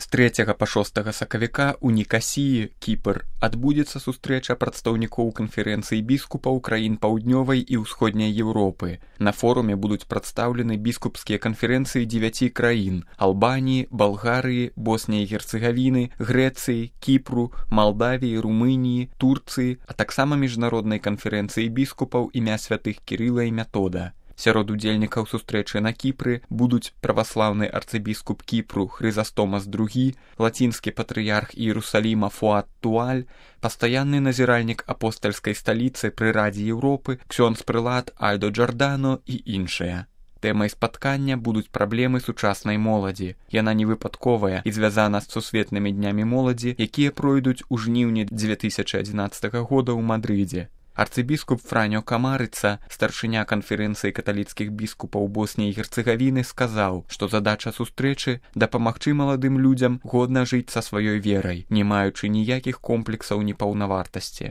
З 3 па 6 сакавіка ў Нікасіі, Кіпр, адбудзецца сустрэча прадстаўнікоў канферэнцыі біскупаў краін паўднёвай і ўсходняй Еўропы. На форуме будуць прадстаўлены біскупскія канферэнцыі 9 краін – Албаніі, Балгарыі, Босніі і Герцэгавіны, Грэцыі, Кіпру, Малдавіі, Румыніі, Турцыі, а таксама міжнароднай канферэнцыі біскупаў імя святых Кірыла і Метода. Сярод удзельнікаў сустрэчы на Кіпры будуць праваслаўны арцыбіскуп Кіпру Хрызастомас II, лацінскі патрыярх Іерусаліма Фуад Туаль, пастаянны назіральнік апостальскай сталіцы пры Радзе Еўропы ксёндз-прылад Альдо Джордано і іншыя. Тэмай спаткання будуць праблемы сучаснай моладзі. Яна не выпадковая і звязана з сусветнымі днямі моладзі, якія пройдуць у жніўні 2011 года ў Мадрыдзе. Арцыбіскуп Франьо Камарыца, старшыня канферэнцыі каталіцкіх біскупаў Босніі і Герцэгавіны, сказаў, што задача сустрэчы – дапамагчы маладым людзям годна жыць са сваёй верай, не маючы ніякіх комплексаў непаўнавартасці.